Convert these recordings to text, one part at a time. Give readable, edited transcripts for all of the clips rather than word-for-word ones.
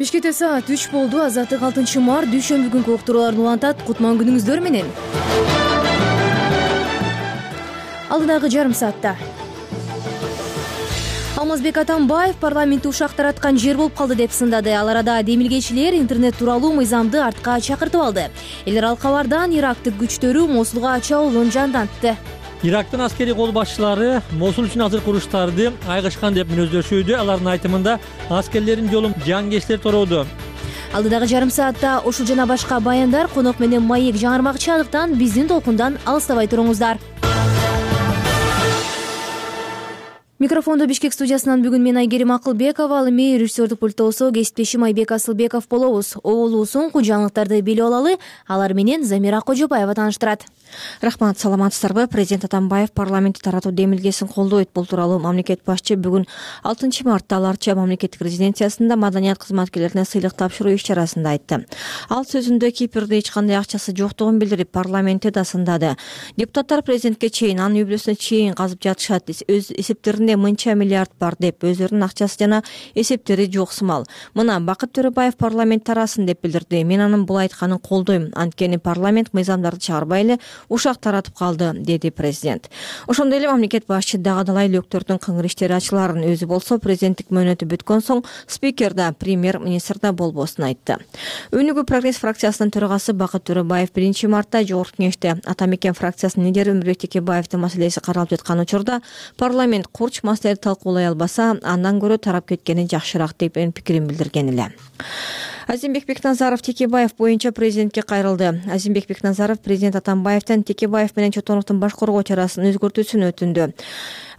Бишкекте саат 3 болду. Азаттык 6 март дүйшөмбү күнкү уктурууларды улантат. Кутман күнүңүздөр менен. Алдыдагы жарым саатта Алмазбек Атамбаев парламентти ушак тараткан жер болуп калды деп сындады. Ал арада демилгечилер интернет тууралуу мыйзамды артка чакыртып алды. Эл аралык кабардан Ирактык күчтөрү Мосулга чабуулун жандантты. Ирактын аскерий кол башчылары Мосул үчүн азыр куруштарды айгышкан деп мүнөздөшүүдө. Алардын айтымында аскерлердин жолун жангечтер тороодо. Алдыдагы жарым саатта ушул жана башка баяндар, конок менен маек жаңырмакчылыктан биздин толкундан алыстабай туруңуздар. Микрофондо Бишкек студиясынан бүгүн мен Айгерим Акылбекова, ал эми режиссердук пульттоосо кесиптешим Айбек Асылбеков болобуз. Оолуу соңку жаңылыктарды билип алалы. Алар менен Замира Кожобаева тааныштырат. Рахмат, саламатсыздарбы? Президент Атамбаев парламентти таратуу демилгесин колдойт. Бул тууралуу мамлекет башчы бүгүн 6 мартта Аларча мамлекеттик резиденциясында маданият кызматкерлерине сыйлык тапшыруу иш-чарасында айтты. Ал сөзүндө Кипрде эч кандай акчасы жоктугун билдирип, парламентте да сындады. Депутаттар президентке чейин, анын үй бүлөсүнө чейин казып жатышат. Өз эсептеринде мынча миллиард бар деп, өздөрүнүн акчасы жана эсептери жок сымал. Мына Бакыт Төрөбаев парламент тарасын деп билдирди. Мен анын бул айтканын колдойм. Анткени парламент мыйзамдарды чыгарбай эле ушак таратып калды, деди президент. Ошондой эле мамлекет башчы дагы-далай лөктөрдүн кыңгыр иштери ачыларын, өзү болсо президенттик мөөнөтү бүткөн соң спикер да, премьер-министр да болбосун айтты. Өнүгүү прогресс фракциясынын төрагасы Бакыт Төрөбаев 1 мартта Жогорку кеңеште Ата Мекен фракциясынын лидери Өмүрбек Текебаевдин маселеси каралып жаткан учурда парламент курч маселени талкуулай албаса, андан көрө тарап кеткени жакшыраак деп пикирин билдирген эле. Азимбек Бекназаров Текебаев боюнча президентке кайрылды. Азимбек Бекназаров президент Атамбаевден Текебаев менен Чотоновдун баш коргоо чарасын өзгөртүүсүн өтүндү.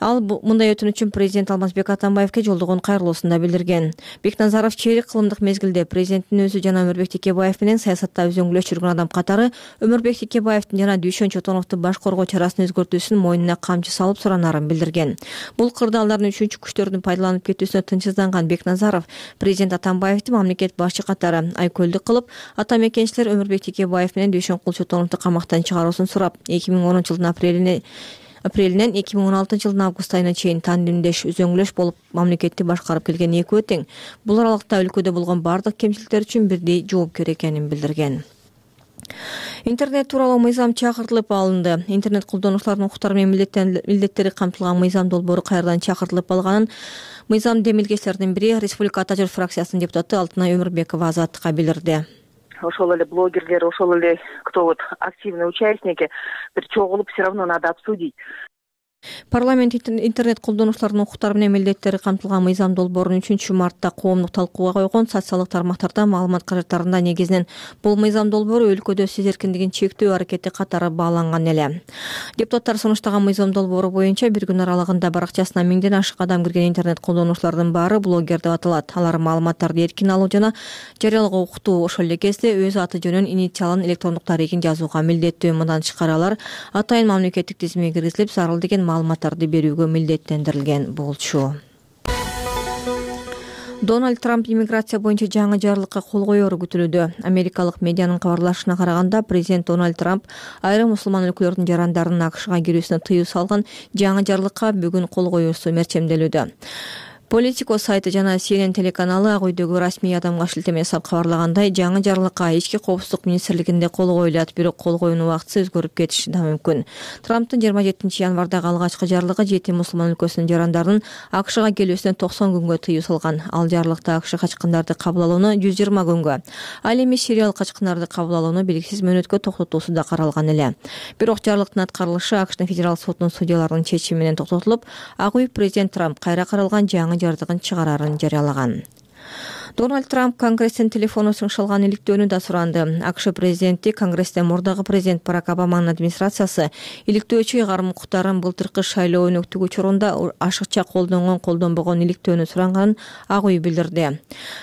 Ал мындай өтүнүч үчүн президент Алмазбек Атамбаевке жолдогон кайрылуусунда билдирген. Бекназаров чейрек кылымдык мезгилде президенттин өзү жана Өмүрбек Текебаев менен саясатта өзөңгүлөш жүргөн адам катары Өмүрбек Текебаевдин жана Дүйшөн Чотоновдун баш коргоо чарасын өзгөртүүсүн мойнуна камчы салып суранарын билдирген. Бул кырдаалдардын үчүнчү күчтөрдүн пайдаланып кетүүсүнө тынчсызданган Бекназаров президент Атамбаевди мамлекет башчы катары айкөлдүк кылып, Ата Мекенчилер Өмүрбек Текебаев менен Дүйшөн Чотоновду камактан чыгаруусун сурап, 2010 жылдын апрелинен 2016 жылдын август айына чейин тандемдеш өзөңгүлөш болуп мамлекетти башкарып келген экөө тең. Бул аралыкта өлкөдө болгон бардык кемчиликтер үчүн бирдей жоопкер экенин билдирген. Интернет тууралуу мыйзам чакыртылып алынды. Интернет колдонуучулардын укуктары менен милдеттери камтылган мыйзам долбоору кайрадан чакыртылып алганын мыйзам демилгечилердин бири Республика Ата жол фракциясынын депутаты Алтынай Өмүрбекова Азаттыкка билдирди. Ошол эле блогерлер, ошол эле кто вот активный участники бир чогулуп все равно надо обсудить. Парламент интернет колдонуучулардын укуктары менен милдеттери камтылган мыйзам долбоорун 3 мартта коомдук талкууга койгон. Социалдык тармактарда маалымат каражаттарында негизинен бул мыйзам долбоору өлкөдө сөз эркиндигин чектөө аракети катары бааланган эле. Депутаттар сунуштаган мыйзам долбоору боюнча бир күн аралыгында баракчасына 1000ден ашык адам кирген интернет колдонуучулардын баары блогер деп аталат. Алар маалыматтарды эркин алуу жана жарыялоого укуктуу, ошол эле кезде өз аты жөнүн, инициалын, электрондук тарыхын жазууга милдеттүү. Мындан тышкары алар атайын мамлекеттик тизимге киргизилип, зарыл деген маалыматтарды берүүгө милдеттендирилген болчу. Дональд Трамп иммиграция боюнча жаңы жарлыкка кол коеру күтүлүүдө. Америкалык медианын кабарлашына караганда, президент Дональд Трамп айрым мусулман өлкөлөрдүн жарандарынын АКШга кирүүсүнө тыюу салган жаңы жарлыкка бүгүн кол коюусу мерчемделүүдө. Politico сайты жана CNN телеканалы Ак үйдөгү расмий адамга шилтеме жасап кабарлагандай, жаңы жарлыкка ички коопсуздук министрлигинде кол коюлат, бирок кол коюунун убактысы өзгөрүп кетиши да мүмкүн. Трамптын 27 январдагы алгачкы жарлыгы 7 мусулман өлкөсүнүн жарандарынын АКШга келүүсүнө 90 күнгө тыюу салган. Ал жарлыкта АКШ качкындарды кабыл алууну 120 күнгө, ал эми Сириялык качкындарды кабыл алууну белгисиз мөөнөткө токтотуусу да каралган эле. Бирок жарлыктын аткарылышы АКШтын федерал сотунун судьяларынын чечими менен токтотулуп, Ак үй президент Трамп кайра каралган жаңы жардыгын чыгарарын жарыялаган. Дональд Трамп Конгресстен телефону сыңшалган иликтөөнү да суранды. АКШ президенти Конгресстен мурдагы президент Барак Обаманын администрациясы иликтөөчү ыйгарым укуктарын былтыркы шайлоо өнөктүгү учурунда ашыкча колдонгон иликтөөнү суранганын Ак үй билдирди.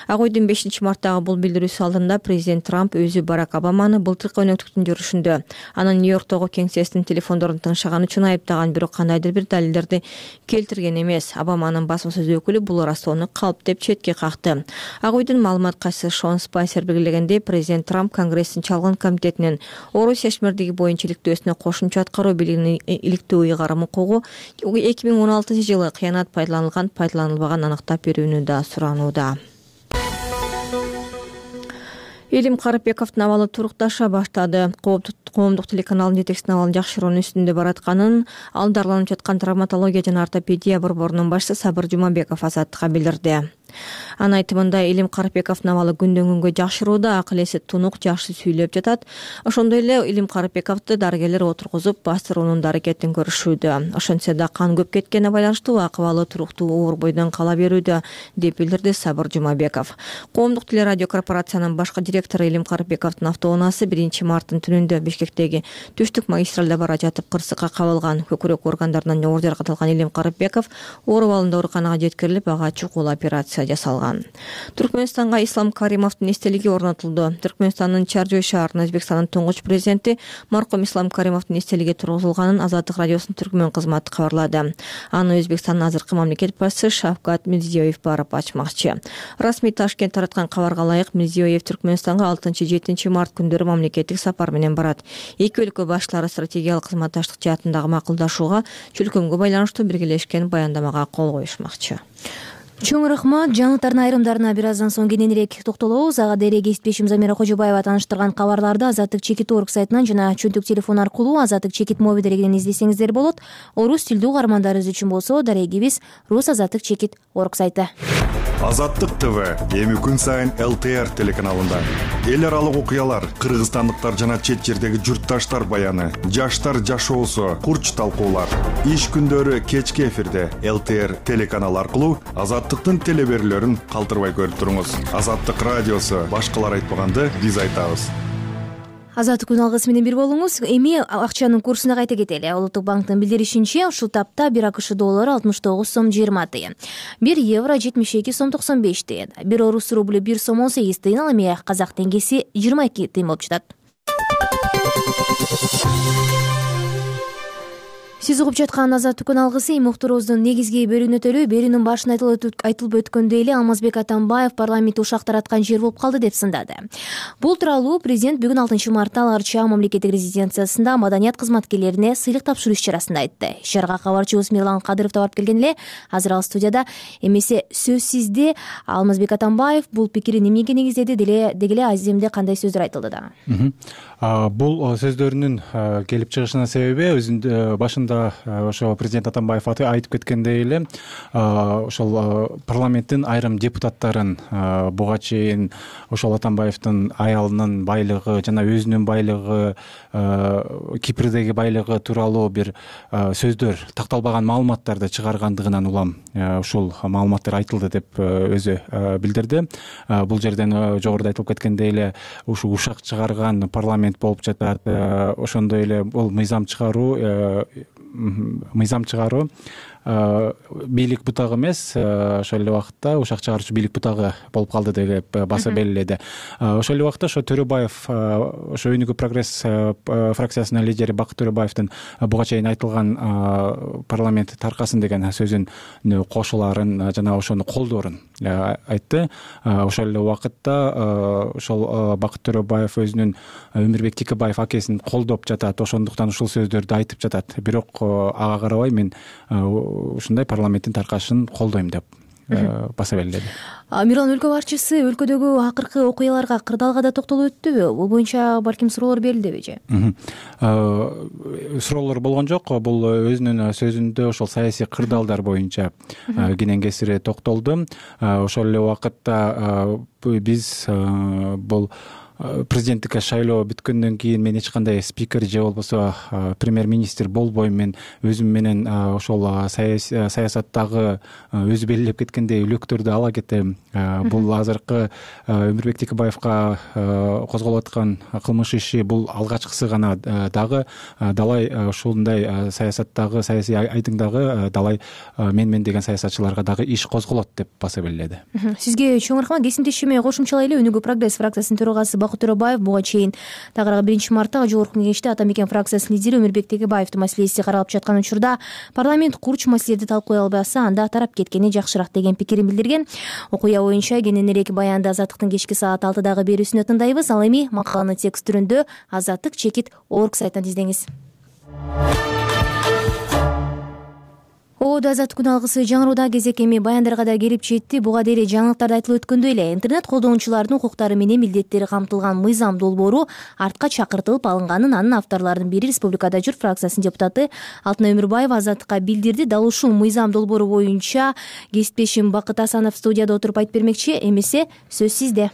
Ак үйдүн 5 марттагы бул билдирүүсү алдында президент Трамп өзү Барак Обаманы былтыркы өнөктүктүн жүрүшүндө анын Нью-Йорктогу кеңсесинин телефондорун тыңшаган үчүн айыптаган, бирок кандайдыр бир далилдерди келтирген эмес. Обаманын басма сөз өкүлү бул ырастоону калп деп четке какты. Ак үйдүн маалымат катчысы Шон Спайсер белгилегендей, президент Трамп Конгресстин чалгын комитетинен Орус чечмердиги боюнча иликтөөсүнө кошумча аткаруу бийлигинин иликтөө ыйгарым укугу 2016 жылы кыянат пайдаланылбаган аныктап берүүнү да суранууда. Элим Карыпбековдун абалы турукташа баштады. Коомдук телеканалдын жетекчисинин абалын жакшыруунун үстүндө баратканын ал дарыланып жаткан травматология жана ортопедия борборунун башчысы Сабыр Жумабеков Азаттыкка билдирди. Анын айтымында Элим Карыпбековдун абалы күндөн күнгө жакшырууда, акыл эси тунук, жакшы сүйлөп жатат. Ошондой эле Элим Карыпбековду дарыгерлер отургузуп бастыруунун да аракетин көрүшүүдө. Ошентсе да кан көп кеткенине байланыштуу акыбалы туруктуу оорубойдон кала берүүдө, деп билдирди Сабыр Жумабеков. Коомдук телерадио корпорациянын башкы директору Элим Карыпбековдун автоунаасы 1 марттын түнүндө Бишкектеги түштүк магистралда бара жатып кырсыкка кабылган. Көкүрөк органдарынан оор жаракат алган Элим Карыпбеков ооруп алынды ооруканага жеткирилип, ага чукул операция жасалган. Түркмөнстанга Ислам Каримовдун эстелиги орнотулду. Түркмөнстандын Чаржой шаарына Өзбекстандын туңгуч президенти маркум Ислам Каримовдун эстелиги тургузулганын Азаттык радиосунун түркмөн кызматы кабарлады. Аны Өзбекстандын азыркы мамлекет башчысы Шавкат Мирзиёев барып ачмакчы. Расмий Ташкент тараткан кабарга ылайык, Мирзиёев Түркмөнстанга 6-7 март күндөрү мамлекеттик сапар менен барат. Эки өлкө башлары стратегиялык кызматташтык жаатындагы макулдашууга чөлкөмгө байланыштуу биргелешкен баяндамага кол коюшмакчы. Чоң рахмат. Жаңылыктардын айрымдарына бир аздан соң кененирээк токтолобуз. Ага деле кесиптешим Замира Кожобаева тааныштырган кабарларды Азаттык чекит орг сайтынан жана чөнтөк телефон аркылуу Азаттык чекит моби дарегинен издесеңиздер болот. Орус тилдүү каармандарыбыз үчүн болсо дарегибиз Рус Азаттык чекит орг сайты. Азаттык ТВ эми күн сайын ЛТР телеканалында эл аралык окуялар, кыргызстандыктар жана чет жердеги журтташтар баяны, жаштар жашоосу, курч талкуулар. Иш күндөрү кечки эфирде ЛТР телеканалы аркылуу Азаттыктын телеберлөрүн калтырбай көрүп туруңуз. Азаттык радиосу башкалар айтпаганды биз айтабыз. Азаттык күн алгысы менен бир болуңуз. Эми акчанын курсуна кайта кетели. Улуттук банктын билдиришинче, ушул тапта 1 АКШ доллары 69 сом 20 тыйын, 1 евро 72 сом 95 тыйын, 1 орус рубль 1 сом 18 тыйын, ал эми казак теңгеси 22 тыйын болуп жатат. Сиз угуп жаткан Азаттык күн алгысы эми уктуруубуздун негизги бөлүгүнө өтөлү. Берүүнүн башында айтылып өткөндөй эле Алмазбек Атамбаев парламентти ушак тараткан жер болуп калды деп сындады. Бул тууралуу президент бүгүн 6 мартта Ал Арча мамлекеттик резиденциясында маданият кызматкерлерине сыйлык тапшыруу иш-чарасында айтты. Иш-чарага кабарчыбыз Мирлан Кадыров да барып келген эле. Азыр ал студияда. Эмесе сөз сизде. Алмазбек Атамбаев бул пикирин эмнеге негиздеди, дегеле аземде кандай сөздөр айтылды да? Бул сөздөрүнүн келип чыгышынын себеби өзүнүн башында ошо президент Атамбаев айтып кеткендей эле, ошол парламенттин айрым депутаттарын буга чейин ошол Атамбаевдин аялынын байлыгы жана өзүнүн байлыгы, Кипрдеги байлыгы тууралуу бир сөздөр, такталбаган маалыматтарды чыгаргандыгынан улам ушул маалыматтар айтылды деп өзү билдирди. Бул жерден жогоруда айтылып кеткендей эле ушул ушак чыгарган парламент болуп жатат. Ошондой эле бул мыйзам чыгаруу бийлик бутагы эмес, ошол эле убакытта ушак чыгаруучу бийлик бутагы болуп калды деп баса белгиледи. Ошол эле убакытта ошо Төрөбаев, ошо Өнүгүү прогресс фракциясынын лидери Бакыт Төрөбаевдин буга чейин айтылган парламент таркасын деген сөзүн кошуларын жана ошону колдоорун айтты. Ошол эле убакытта ошол Бакыт Төрөбаев өзүнүн Өмүрбек Тикебаев акесин колдоп жатат, ошондуктан ушул сөздөрдү айтып жатат. Бирок ага карабай мен ушундай парламенттин таркашын колдойм деп баса белгиледи. Мирлан өлкө башчысы өлкөдөгү акыркы окуяларга, кырдаалга да токтолуп өттүбү? Бул боюнча балким суроолор берилдиби же? Суроолор болгон жок. Бул өзүнүн сөзүндө ошол саясий кырдаалдар боюнча кенен кесири токтолду. Ошол эле убакытта биз бул президенттикке шайлоо бүткөндөн кийин мен эч кандай спикер же болбосо премьер-министр болбойм. Мен өзүм менен ошол саясаттагы өзү белгилеп кеткендей үлөктөрдү ала кетем. Бул азыркы Өмүрбек Тикебаевка козголуп аткан кылмыш иши бул алгачкысы гана, дагы далай ушундай саясаттагы, саясий айдыңдагы далай мен деген саясатчыларга дагы иш козголот деп баса белгиледи. Сизге чоң рахмат. Кесимдешиме кошумчалай эле Өнүгүү прогресс фракциясынын төрагасы Бакыт Төрөбаев буга чейин тагыраак 1 мартта жогорку кеңеште Атамекен фракциясынын лидери Өмүрбек Текебаевдин маселеси каралып жаткан учурда парламент курч маселелерди талкуулай албаса, анда тарап кеткени жакшыраак деген пикирин билдирген. Окуя боюнча кененирээк баянды Азаттыктын кечки саат 6дагы берүүсүнө тыңдайбыз. Ал эми макаланы текст түрүндө Азаттык чекит орг сайтынан издеңиз. радио Азаттык күн алгысы жаңырууда кезек эми баяндарга да келип жетти. Буга дейин жаңылыктарда айтылып өткөндөй эле интернет колдонуучулардын укуктары менен милдеттери камтылган мыйзам долбоору артка чакыртылып алынганын анын авторлорунун бири Республикада Журт фракциясынын депутаты Алтынай Өмүрбаева Азаттыкка билдирди. Дал ушул мыйзам долбоору боюнча кесиптешим Бакыт Асанов студияда отуруп айтып бермекчи. Эмесе сөз сизде.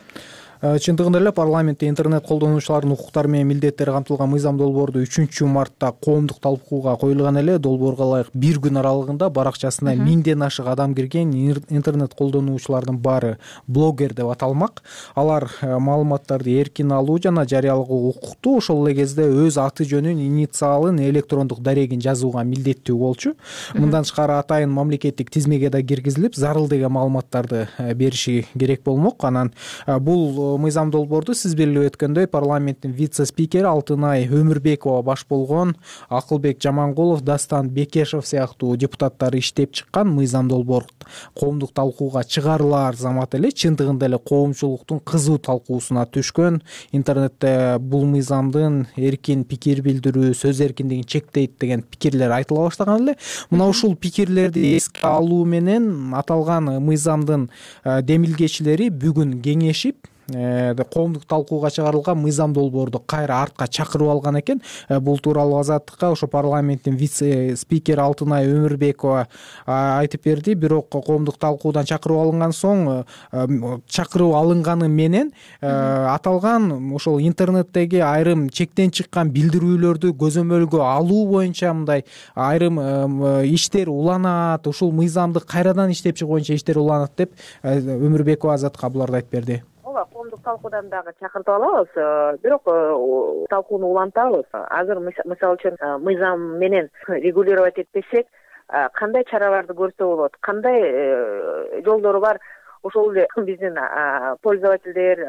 Чындыгында эле парламентте интернет колдонуучулардын укуктары менен милдеттери камтылган мыйзам долбоору 3-мартта коомдук талкууга коюлган эле. Долбоорго ылайык бир күн аралыгында баракчасына 1000ден ашык адам кирген. Интернет колдонуучулардын баары блогер деп аталмак. Алар маалыматтарды эркин алуу жана жарыялагуу укуктуу, ошол эле кезде өз аты жөнүн, инициалын, электрондук дарегин жазууга милдеттүү болчу. Мындан тышкары атайын мамлекеттик тизмеге да киргизилип, зарыл деген маалыматтарды бериши керек болмок. Анан бул мыйзам долбоорду сиз белгилеп өткөндөй парламенттин вице-спикери Алтынай Өмүрбекова баш болгон Акылбек Жамангулов, Дастан Бекешев сыяктуу депутаттар иштеп чыккан мыйзам долбоор коомдук талкууга чыгарылаар замат эле чындыгында эле коомчулуктун кызуу талкуусуна түшкөн. Интернетте бул мыйзамдын эркин пикир билдирүү, сөз эркиндигин чектейт деген пикирлер айтыла баштаган эле. Мына ушул пикирлерди эске алуу менен аталган мыйзамдын демилгечилери бүгүн кеңешип коомдук талкууга чыгарылган мыйзам долбоорду кайра артка чакырып алган экен. Бул тууралуу Азаттыкка ошо парламенттин вице-спикери Алтынай Өмүрбекова айтып берди. Бирок коомдук талкуудан чакырып алынган соң, чакырып алынганы менен аталган ошол интернеттеги айрым чектен чыккан билдирүүлөрдү көзөмөлгө алуу боюнча мындай айрым иштер уланат, ушул мыйзамды кайрадан иштеп чыгуу боюнча иштер уланат деп Өмүрбекова Азаттыкка буларды айтып берди. Коомдук талкуудан дагы чакыртып алабыз, бирок талкууну улантабыз. Азыр мисалы үчүн мыйзам менен регулировать этпесек, кандай чараларды көрсө болот, кандай жолдору бар, ошол эле биздин пользовательдер,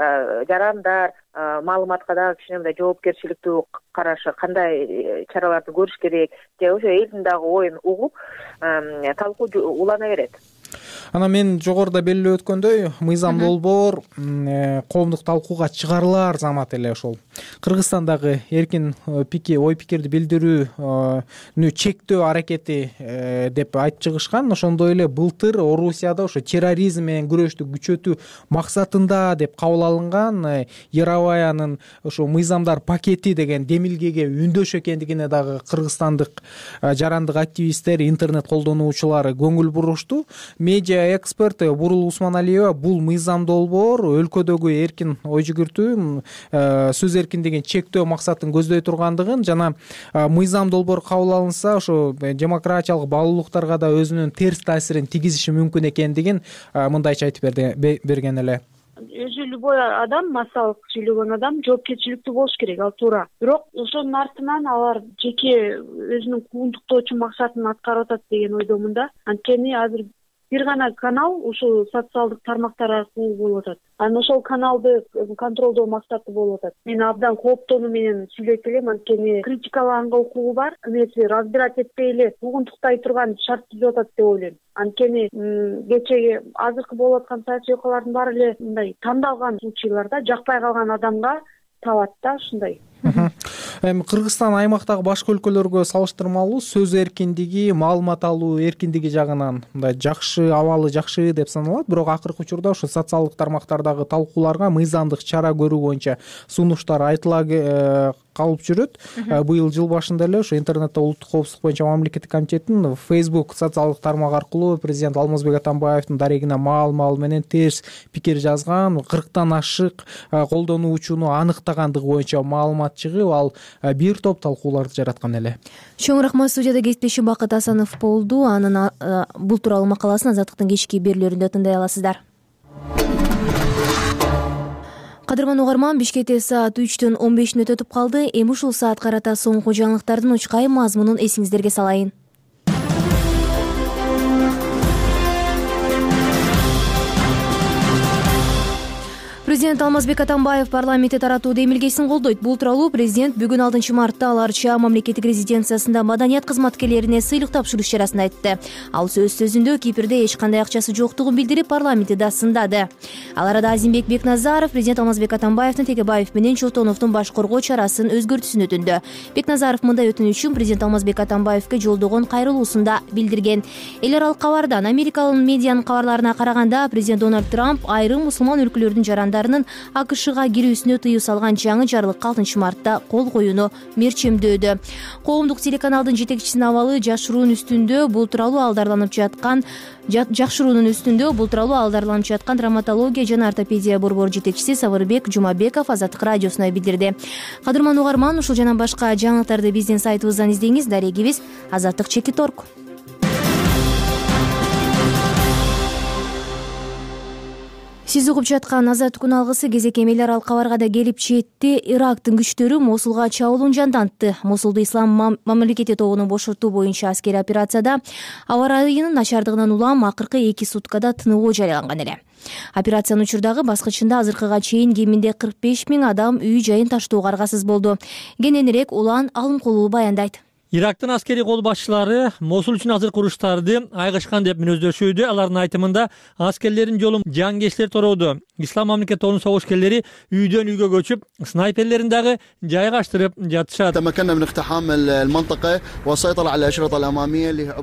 жарандар маалыматка дагы кичине мындай жоопкерчиликтүү карашы, кандай чараларды көрүш керек, же ошо элдин дагы оюн угуп талкуу улана берет. Анан мен жогоруда белгилеп өткөндөй, мыйзам долбоор коомдук талкууга чыгарылаар замат эле ошол Кыргызстандагы эркин ой пикирди билдирүүнү чектөө аракети деп айтып чыгышкан. Ошондой эле былтыр Орусияда ошо терроризм менен күрөштү күчөтүү максатында деп кабыл алынган Яроваянын ошо мыйзамдар пакети деген демилгеге үндөш экендигине дагы кыргызстандык жарандык активисттер, интернет колдонуучулары көңүл бурушту. Медиа эксперт Бурул Усманалиева бул мыйзам долбоор өлкөдөгү эркин ой жүгүртүү, сөз эркиндигин чектөө максатын көздөй тургандыгын жана мыйзам долбоор кабыл алынса ошо демократиялык баалуулуктарга да өзүнүн терс таасирин тийгизиши мүмкүн экендигин мындайча айтып берген эле. Өзү любой адам, массалык сүйлөгөн адам жоопкерчиликтүү болуш керек, ал туура. Бирок ошонун артынан алар жеке өзүнүн куугунтуктоочу максатын аткарып атат деген ойдомун да. Анткени азыр бир гана канал ушул социалдык тармактар аркылуу болуп атат. Анан ошол каналды контролдоо максаты болуп атат. Мен абдан кооптонуу менен сүйлөйт элем, анткени критикалаганга укугу бар. Эмеси разбирать этпей эле куугунтуктай турган шарт түзүп атат деп ойлойм. Анткени кечеги азыркы болуп аткан саясий окуялардын баары эле мындай тандалган случайларда жакпай калган адамга табат да ушундай. Эми Кыргызстан аймактагы башка өлкөлөргө салыштырмалуу сөз эркиндиги, маалымат алуу эркиндиги жагынан мындай жакшы, абалы жакшы деп саналат. Бирок акыркы учурда ошо социалдык тармактардагы талкууларга мыйзамдык чара көрүү боюнча сунуштар айтыла калып жүрөт. Быйыл жыл башында эле ошо интернетте улуттук коопсуздук боюнча мамлекеттик комитеттин Facebook социалдык тармак аркылуу президент Алмазбек Атамбаевдин дарегине маал менен терс пикир жазган 40тан ашык колдонуучуну аныктагандыгы боюнча маалымат чыгып, ал бир топ талкууларды жараткан эле. Чоң рахмат. Студияда кесиптешим Бакыт Асанов болду. Анын бул тууралуу макаласын Азаттыктын кечки берүүлөрүндө тыңдай аласыздар. Кадырман угарман, Бишкекте саат 3-төн 15 мүнөт өтүп калды. Эми ушул саат карата соңку жаңылыктардын учкай мазмунун эсиңиздерге салайын. Президент Алмазбек Атамбаев парламентте таратуу демилгесин колдойт. Бул тууралуу президент бүгүн 6 мартта Аларча мамлекеттик резиденциясында маданият кызматкерлерине сыйлык тапшыруу иш-чарасында айтты. Ал сөзүндө Кипрде эч кандай акчасы жоктугун билдирип, парламентти да сындады. Ал арада Азимбек Бекназаров президент Алмазбек Атамбаевдин Текебаев менен Чотоновдун баш коргоо чарасын өзгөртүүсүн өтүндү. Бекназаров мындай өтүнүчүн президент Алмазбек Атамбаевге жолдогон кайрылуусунда билдирген. Эл аралык кабардан Америкалык медианын кабарларына караганда, президент Дональд Трамп айрым мусулман өлкөлөрдүн жарандарынын АКШга кирүүсүнө тыюу салган жаңы жарлыкка 6 мартта кол коюуну мерчемдөөдө. Коомдук телеканалдын жетекчисинин абалы жакшыруунун үстүндө бул тууралуу алдарlanып жаткан травматология жана ортопедия борбору жетекчиси Сабырбек Жумабеков Азаттык радиосуна билдирди. Кадырман угарман, ушул жана башка жаңылыктарды биздин сайтыбыздан издеңиз. Дарегибиз Азаттык.org. Сиз угуп жаткан Азаттык күн алгысы кезек эл аралык кабарга да келип жетти. Ирактын күчтөрү Мосулга чабуулун жандантты. Мосулду Ислам мамлекети тобунун бошотуу боюнча аскерий операцияда аба ырайынын начардыгынан улам акыркы 2 суткада тыныгуу жарыяланган эле. Операциянын учурдагы баскычында азыркыга чейин кеминде 45 000 адам үй жайын таштоого аргасыз болду. Кененирээк Улан Алымкулуу баяндайт. Ирактын аскерий кол башчылары Мосул үчүн азыркы уруштарды айгышкан деп мүнөздөшүүдө. Алардын айтымында аскерлердин жолун жангечтер торооду. Ислам мамлекети тобунун согушкерлери үйдөн үйгө көчүп, снайперлерин дагы жайгаштырып жатышат.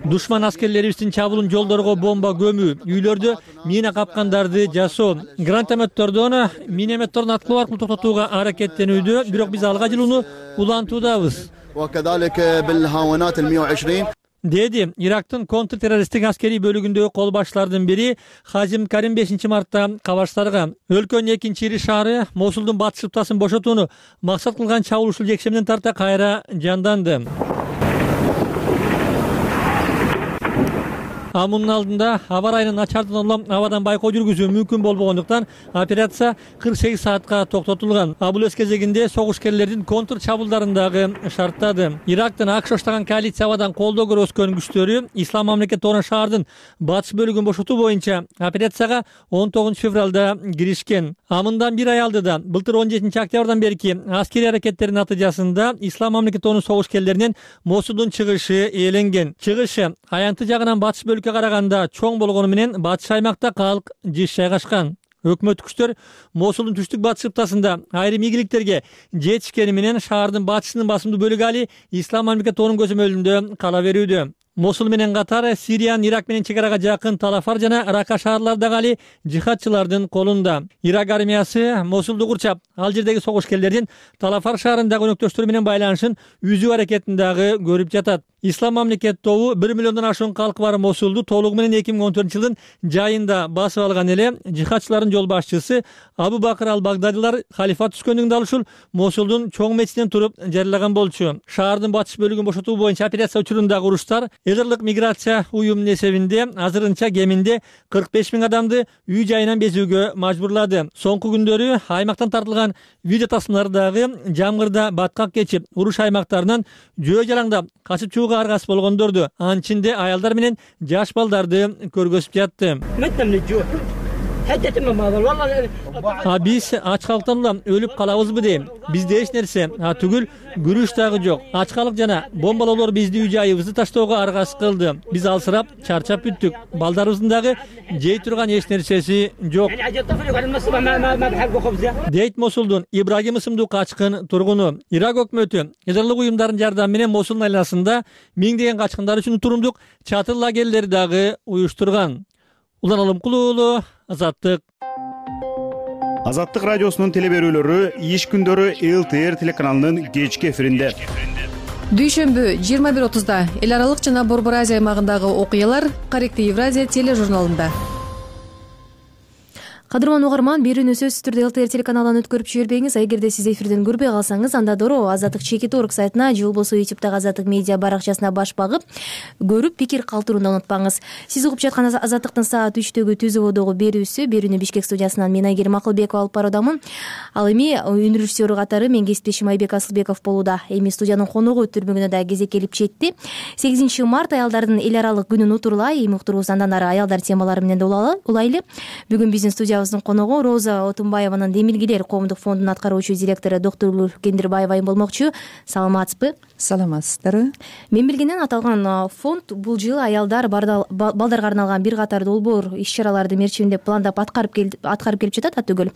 Душман аскерлерибиздин чабуулун жолдорго бомба көмүү, үйлөрдө мина капкандарды жасоо, гранатометтордон минометтордун аткылоо аркылуу токтотууга аракеттенүүдө. Бирок биз алга жылууну улантуудабыз. Деди Ирактын контртеррористтик аскерий бөлүгүндөгү кол башчылардын бири Хазим Карим 5 мартта кабарчыларга өлкөнүн экинчи ири шаары Мосулдун батыш шыптасын бошотууну максат кылган чабуул ушул жекшемден тарта кайра жанданды. Мунун алдында аба ырайынын начардыгынан улам абадан байкоо жүргүзүү мүмкүн болбогондуктан операция 48 саатка токтотулган. Бул өз кезегинде согушкерлердин контр чабуулдарын дагы шарттады. Ирактын АКШ оштаган коалиция абадан колдоо көрүп өскөн күчтөрү Ислам мамлекети тобунун шаардын батыш бөлүгүн бошотуу боюнча операцияга 19 февралда киришкен. Мындан бир ай алдыда былтыр 17 октябрдан берки аскерий аракеттердин натыйжасында Ислам мамлекети тобунун согушкерлеринен Мосулдун чыгышы ээленген. Чыгышы аянты жагынан батыш бөлүккө караганда чоң болгону менен батыш аймакта калк жыш жайгашкан. Өкмөттүк күчтөр Мосулдун түштүк батыш шыптасында айрым ийгиликтерге жетишкени менен шаардын батышынын басымдуу бөлүгү али Ислам мамлекети тобунун көзөмөлүндө кала берүүдө. Мосул менен катар Сириянын Ирак менен чегарага жакын Талафар жана Рака шаарлары дагы али жихадчылардын колунда. Ирак армиясы Мосулду курчап, ал жердеги согушкерлердин Талафар шаарындагы өнөктөштөрү менен байланышын үзүү аракетин дагы көрүп жатат. Ислам мамлекети тобу 1 миллиондон ашуун калкы бар Мосулду толугу менен 2014-жылдын жайында басып алган эле. Жихадчылардын жол башчысы Абу Бакыр ал-Багдадилар халифат түшкөндөн дал ушул Мосулдун чоң мечитинен туруп жарыялаган болчу. Шаардын батыш бөлүгүн бошотуу боюнча операция учурундагы уруштар Эдерлик миграция уюмунун эсебинде азырынча кеминде 45 000 адамды үй жайынан безүүгө мажбурлады. Соңку күндөрү аймактан тартылган видео тасмалары дагы жамгырда баткак кечип, уруш аймактарынан жөө жалаңдап качып чууга аргасыз болгондорду, анын ичинде аялдар менен жаш балдарды көргөзүп жатты. Биз ачкалыктан улам өлүп калабызбы дейм. Бизде эч нерсе түгүл күрүш дагы жок. Ачкалык жана бомбалоолор бизди үй жайыбызды таштоого аргасыз кылды. Биз алсырап, чарчап бүттүк. Балдарыбыздын дагы жей турган эч нерсеси жок. Дейт Мосулдун Ибрагим ысымдуу качкын тургуну. Ирак өкмөтү эдерлик уюмдардын жардамы менен Мосулдун айланасында миңдеген качкындар үчүн турумдук чатыр лагерлери дагы уюштурган. Улан Алымкулуу, Азаттык. Азаттык радиосунун телеберүүлөрү иш күндөрү ЛТР телеканалынын кечки эфиринде. Дүйшөмбү 21:30 эл аралык жана Борбор Азия аймагындагы окуялар Корректив Евразия тележурналында. Кадырман угарман, берүүнү сөзсүз түрдө ЛТР телеканалынан өткөрүп жибербеңиз. Эгерде сиз эфирден көрбөй калсаңыз, анда дороо Азаттык.org сайтына же болбосо YouTube'дагы Азаттык медиа баракчасына баш багып, көрүп пикир калтырууну унутпаңыз. Сиз угуп жаткан Азаттыктын саат 3-төгү түзүүдөгү берүүнү Бишкек студиясынан мен Айгерим Акылбекова алып баруудамын. Ал эми үн режиссеру катары мен кесиптешим Айбек Асылбеков болууда. Эми студиянын коногу өтүрмөгүнө да кезек келип жетти. 8 март аялдардын эл аралык күнүн утурлай, эми уктурубузду андан ары аялдар темалары менен да улайлы. Бүгүн биздин студиябызда студиябыздын коногу Роза Отунбаеванын Демилгелер коомдук фондунун аткаруучу директору доктор Кендирбаева айым болмокчу. Саламатсызбы? Саламатсыздарбы? Мен билгенден аталган фонд бул жылы аялдар балдарга арналган бир катар долбоор иш-чараларды мерчимдеп пландап аткарып келип жатат атүгүл.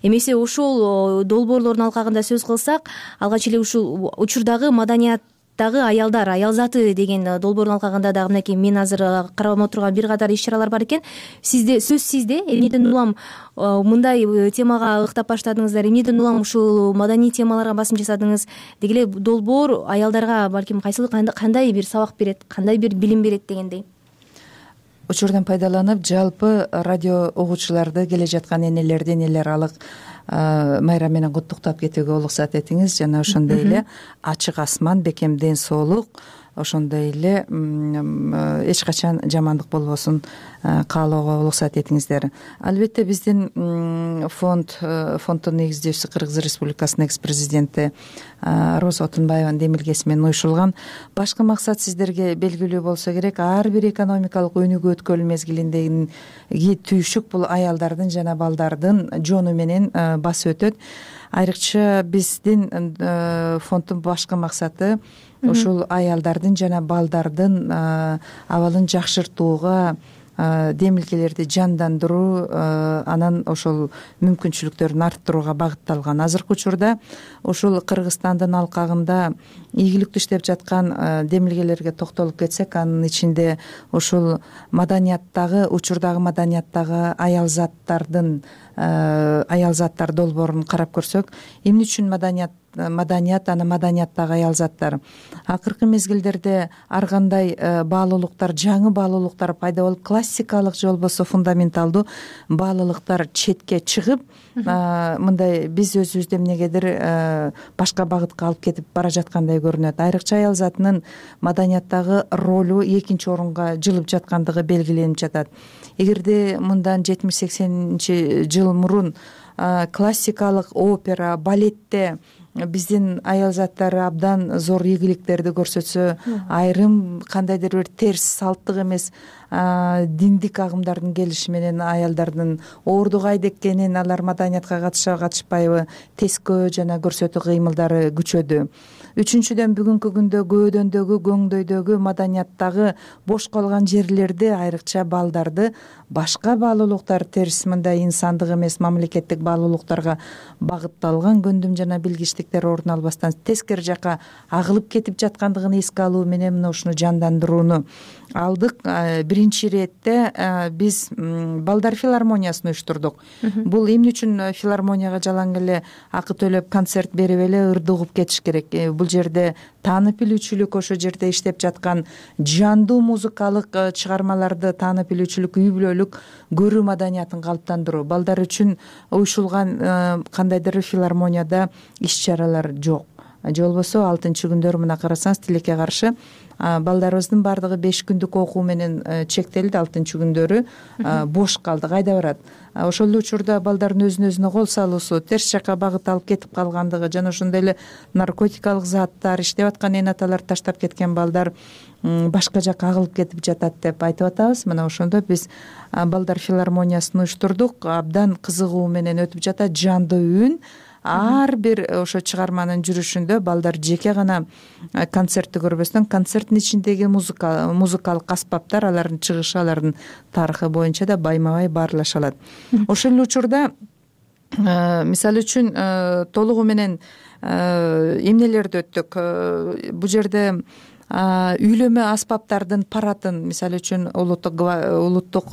Эмесе ушул долбоорлордун алкагында сөз кылсак, алгач эле ушул учурдагы маданияттагы аялдар, аял заты деген долбоордун алкагында дагы мынакей мен азыр карап отурган бир катар иш-чаралар бар экен. Сөз сизде. Эмнеден улам мындай темага ыктап баштадыңыздар? Эмнеден улам ушул маданий темаларга басым жасадыңыз? Деги эле долбоор аялдарга балким кайсыл кандай бир сабак берет, кандай бир билим берет дегендей. Учурдан пайдаланып, жалпы радио угуучуларды келе жаткан энелерди эл аралык майрам менен куттуктап кетүүгө уруксат этиңиз. Жана ошондой эле ачык асман, бекем ден соолук, ошондой эле эч качан жамандык болбосун каалоого уруксат этиңиздер. Албетте биздин фонддун негиздөөчүсү Кыргыз Республикасынын экс президенти Роза Отунбаеванын демилгеси менен уюшулган. Башкы максат сиздерге белгилүү болсо керек, ар бир экономикалык өнүгүү өткөн мезгилиндеги түйшүк бул аялдардын жана балдардын жону менен басып өтөт. Айрыкча биздин фонддун башкы максаты ушул аялдардын жана балдардын абалын жакшыртууга, демилгелерди жандандыруу, анан ошол мүмкүнчүлүктөрүн арттырууга багытталган. Азыркы учурда ушул Кыргызстандын алкагында ийгиликтүү иштеп жаткан демилгелерге токтолуп кетсек, анын ичинде ушул маданияттагы, учурдагы маданияттагы аял заттар долбоорун карап көрсөк, эмне үчүн маданият, анан маданияттагы аял заттар. Акыркы мезгилдерде ар кандай баалуулуктар, жаңы баалуулуктар пайда болуп, классикалык же болбосо фундаменталдуу баалуулуктар четке чыгып, мындай биз өзүбүздү эмнегедир башка багытка алып кетип бара жаткандай көрүнөт. Айрыкча аял затынын маданияттагы ролу экинчи орунга жылып жаткандыгы белгиленип жатат. Эгерде мындан 70-80 жыл мурун классикалык опера, балетте биздин аял заттары абдан зор ийгиликтерди көрсөтсө, айрым кандайдыр бир терс салттык эмес диндик агымдардын келиши менен аялдардын оордук айдеккенин, алар маданиятка катышпайбы, тескөө жана көрсөтүү кыймылдары күчөдү. Үчүнчүдөн, бүгүнкү күндө көөдөндөгү, көңдөйдөгү маданияттагы бош калган жерлерди, айрыкча балдарды башка баалуулуктар, терс мындай инсандык эмес мамлекеттик баалуулуктарга багытталган көндүм жана билгичтиктер орун албастан тескери жака агылып кетип жаткандыгын эске алуу менен мына ушуну жандандырууну алдык. Биринчи иретте биз балдар филармониясын уюштурдук. Бул эмне үчүн филармонияга жалаң эле акы төлөп концерт берип эле ырды угуп кетиш керек? Бул жерде таанып билүүчүлүк, ошо жерде иштеп жаткан жандуу музыкалык чыгармаларды таанып билүүчүлүк, үй бүлөлүк көрүү маданиятын калыптандыруу. Балдар үчүн уюшулган кандайдыр филармонияда иш-чаралар жок. Же болбосо 6-күндөр мына карасаңыз, тилекке каршы балдарыбыздын баардыгы 5 күндүк окуу менен чектелди. 6-күндөрү бош калды, кайда барат? Ошол эле учурда балдардын өзүнө кол салуусу, терс жака багыт алып кетип калгандыгы жана ошондой эле наркотикалык заттар иштеп аткан эне аталар таштап кеткен балдар башка жака агылып кетип жатат деп айтып атабыз. Мына ошондо биз балдар филармониясын уюштурдук. Абдан кызыгуу менен өтүп жатат, жандуу үн. Ар бир ошо чыгарманын жүрүшүндө балдар жеке гана концертти көрбөстөн, концерттин ичиндеги музыкалык аспаптар, алардын чыгышы, алардын тарыхы боюнча да байма-бай баарлаша алат. Ошол эле учурда мисалы үчүн толугу менен эмнелерди өттүк. Бул жерде үйлөмө аспаптардын паратын, мисалы үчүн улуттук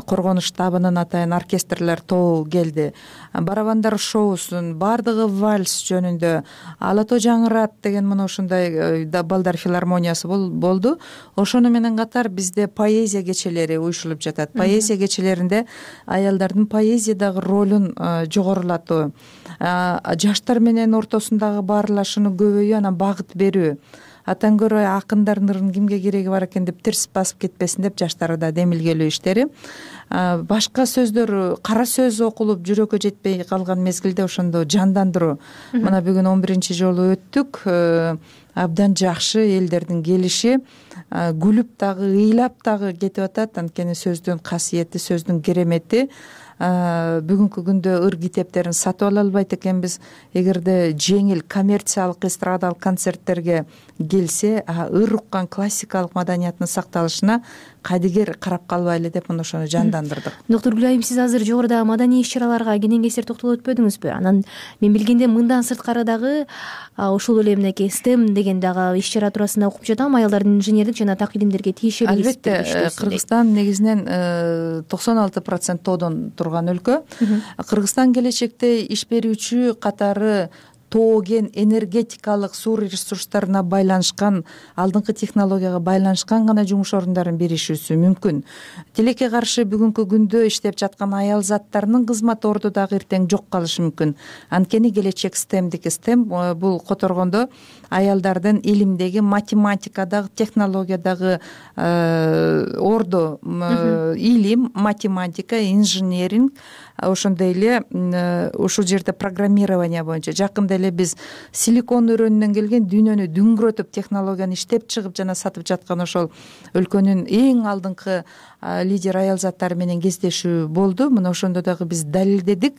коргонуш штабынын атайын оркестрлер тобу келди. Барабандар шоусун, баардыгы вальс жөнүндө, Ала тоо жаңырат деген мына ушундай балдар филармониясы болду. Ошону менен катар бизде поэзия кечелери уюшулуп жатат. Поэзия кечелеринде аялдардын поэзиядагы ролун жогорулатуу, жаштар менен ортосундагы баарлашууну көбөйүү, анан багыт берүү. Атан көрө акындардын ырын кимге кереги бар экен деп терс басып кетпесин деп жаштарда демилгелөө иштери. Башка сөздөр, кара сөз окулуп жүрөккө жетпей калган мезгилде ошондо жандандыруу. Мына бүгүн 11 жолу өттүк. Абдан жакшы элдердин келиши, күлүп дагы, ыйлап дагы кетип атат. Анткени сөздүн касиети, сөздүн керемети бүгүнкү күндө ыр китептерин сатып ала албайт экенбиз. Эгерде жеңил коммерциялык эстрадалык концерттерге келсе, ыр уккан классикалык маданияттын сакталышына кадигер карап калбайлы деп мына ошону жандандырдык. Доктор Гүлайым, сиз азыр жогоруда маданий иш-чараларга кенен кесир токтолуп өтпөдүңүзбү? Анан мен билгенде мындан сырткары дагы ошол эле мынакей STEM деген дагы иш-чара туурасында окуп жатам. Аялдардын инженердик жана так илимдерге тиешелүү. Албетте, Кыргызстан негизинен 96% тоодон турган өлкө. Кыргызстан келечекте иш берүүчү катары тоо кен энергетикалык суу ресурстарына байланышкан, алдыңкы технологияга байланышкан гана жумуш орундарын беришүүсү мүмкүн. Тилекке каршы бүгүнкү күндө иштеп жаткан аял заттарынын кызмат орду дагы эртең жок калышы мүмкүн. Анткени келечек STEM бул которгондо аялдардын илимдеги, математикадагы, технологиядагы орду, илим, математика, инженеринг, ошондой эле ушул жерде программирование боюнча жакында эле биз силикон өрөөнүнөн келген дүйнөнү дүңгүрөтүп технологияны иштеп чыгып жана сатып жаткан ошол өлкөнүн эң алдыңкы лидер аял заттары менен кездешүү болду. Мына ошондо дагы биз далилдедик.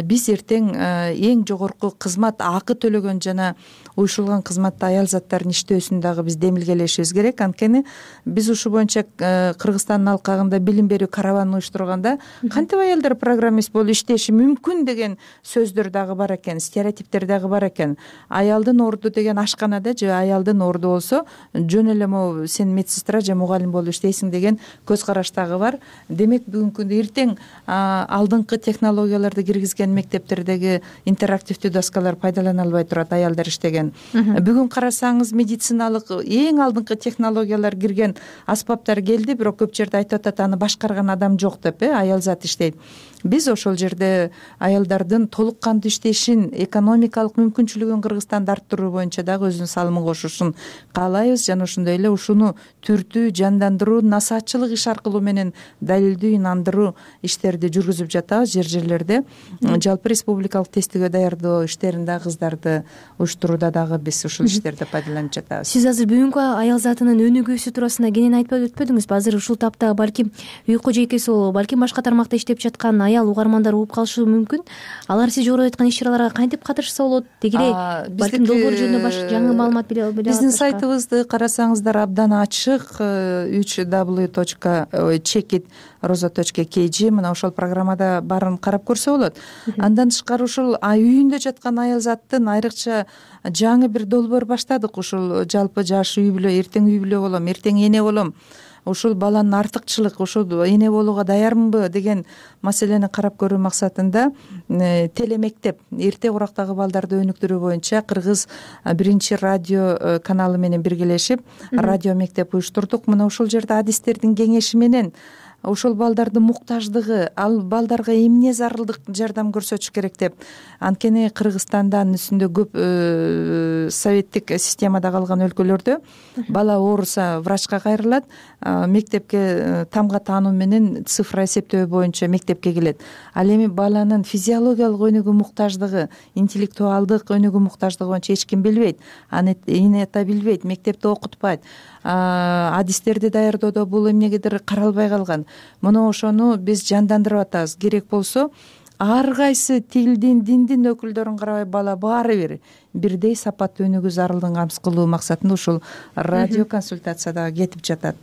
Биз эртең эң жогорку кызмат акы төлөгөн жана уюшулган кызматта аял заттардын иштөөсүн дагы биз демилгелешибиз керек. Анткени биз ушул боюнча Кыргызстандын алкагында билим берүү караванын уюштурганда кантип аялдар программист болуп иштеши мүмкүн деген сөздөр дагы бар экен, стереотиптер дагы бар экен. Аялдын орду деген ашканада же аялдын орду болсо жөн эле могу сен медсестра же мугалим болуп иштейсиң деген көз караш дагы бар. Демек бүгүнкү күндө эртең алдыңкы технологияларды киргизген мектептердеги интерактивдүү доскалар пайдалана албай турат аялдар иштеген. Бүгүн карасаңыз медициналык эң алдыңкы технологиялар кирген аспаптар келди, бирок көп жерде айтып атат аны башкарган адам жок деп, аял зат иштейт. Биз ошол жерде аялдардын толук кандуу иштешин, экономикалык мүмкүнчүлүгүн Кыргызстанда арттыруу боюнча дагы өзүнүн салымын кошушун каалайбыз жана ошондой эле ушуну түртүү, жандандыруу, насаатчылык иш аркылуу менен далилдүү, инандыруу иштерди жүргүзүп жатабыз жерлерде. Жалпы республикалык тестиге даярдоо иштерин дагы кыздарды уюштурууда дагы биз ушул иштерди пайдаланып жатабыз. Сиз азыр бүгүнкү аял затынын өнүгүүсү туурасында кенен айтып өтпөдүңүзбү? Азыр ушул тапта балким үй кожойкеси болобу, балким башка тармакта иштеп жаткан аял угармандар угуп калышы мүмкүн. Алар сиз жогоруда айткан иш-чараларга кантип катышса болот? Деги эле балким долбоор жөнүндө жаңы маалымат биле алат. Биздин сайтыбызды карасаңыздар абдан ачык, www.checkit.roza.kg мына ошол программада баарын карап көрсө болот. Андан тышкары ушул үйүндө жаткан аял заттын айрыкча жаңы бир долбоор баштадык. Ушул жалпы жаш үй бүлө, эртең үй бүлө болом, эртең эне болом, ушул баланын артыкчылык, ушул эне болууга даярмынбы деген маселени карап көрүү максатында телемектеп, эрте курактагы балдарды өнүктүрүү боюнча Кыргыз биринчи радио каналы менен биргелешип радио мектеп уюштурдук. Мына ушул жерде адистердин кеңеши менен ошол балдардын муктаждыгы, ал балдарга эмне зарылдык жардам көрсөтүш керек деп. Анткени Кыргызстанда анын үстүндө көп советтик системада калган өлкөлөрдө бала ооруса врачка кайрылат, мектепке тамга таануу менен цифра эсептөө боюнча мектепке келет. Ал эми баланын физиологиялык өнүгүү муктаждыгы, интеллектуалдык өнүгүү муктаждыгы боюнча эч ким билбейт. Аны эне ата билбейт, мектепте окутпайт. Адистерди даярдоодо бул эмнегедир каралбай калган. Мына ошону биз жандандырып атабыз. Керек болсо ар кайсы тилдин, диндин өкүлдөрүн карабай бала баары бир бирдей сапаттуу өнүгүү зарылдыгын камсыз кылуу максатында ушул радио консультация дагы кетип жатат.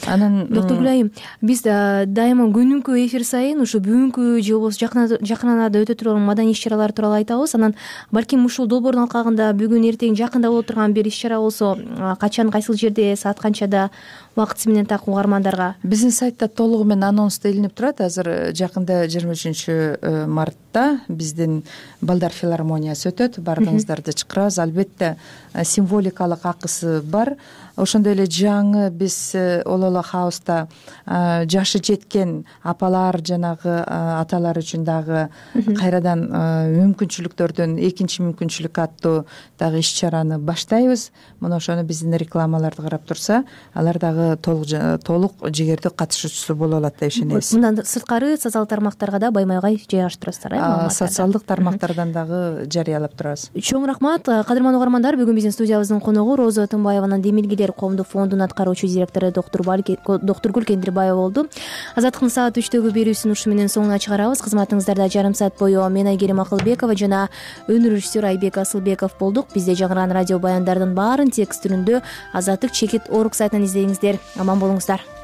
Анан доктор Гүлайым, биз дайыма күнүнкү эфир сайын ушу бүгүнкү же болбосо жакын арада өтө турган маданий иш-чаралар тууралуу айтабыз. Анан балким ушул долбоордун алкагында бүгүн эртең жакында боло турган бир иш-чара болсо, качан, кайсыл жерде, саат канчада, убакытысы менен так угармандарга? Биздин сайтта толугу менен анонсто илинип турат. Азыр жакында 23 мартта биздин балдар филармониясы өтөт. Бардыгыңыздарды чакырабыз. Албетте символикалык акысы бар. Ошондой эле жаңы биз Олола хауста жашы жеткен апалар жанагы аталар үчүн дагы кайрадан мүмкүнчүлүктөрдөн экинчи мүмкүнчүлүк аттуу дагы иш-чараны баштайбыз. Мына ошону биздин рекламаларды карап турса, алар дагы толук жигердүү катышуучусу боло алат деп ишенебиз. Мындан сырткары социалдык тармактарга да баймай-бай жайгаштырасыздар, социалдык тармактардан дагы жарыялап турабыз. Чоң рахмат. Кадырман угармандар, бүгүн биздин студиябыздын коногу Роза Тынбаеванын Демилгиде эмгектегилер коомдук фондунун аткаруучу директору доктургүл Кендирбаева болду. Азаттыктын саат 3төгү берүүсүн ушу менен соңуна чыгарабыз. Кызматыңыздарда жарым саат бою мен Айгерим Акылбекова жана өнөр режиссер Айбек Асылбеков болдук. Бизде жаңырган радио баяндардын баарын текст түрүндө Азаттык чекит орг сайтынан издеңиздер. Аман болуңуздар.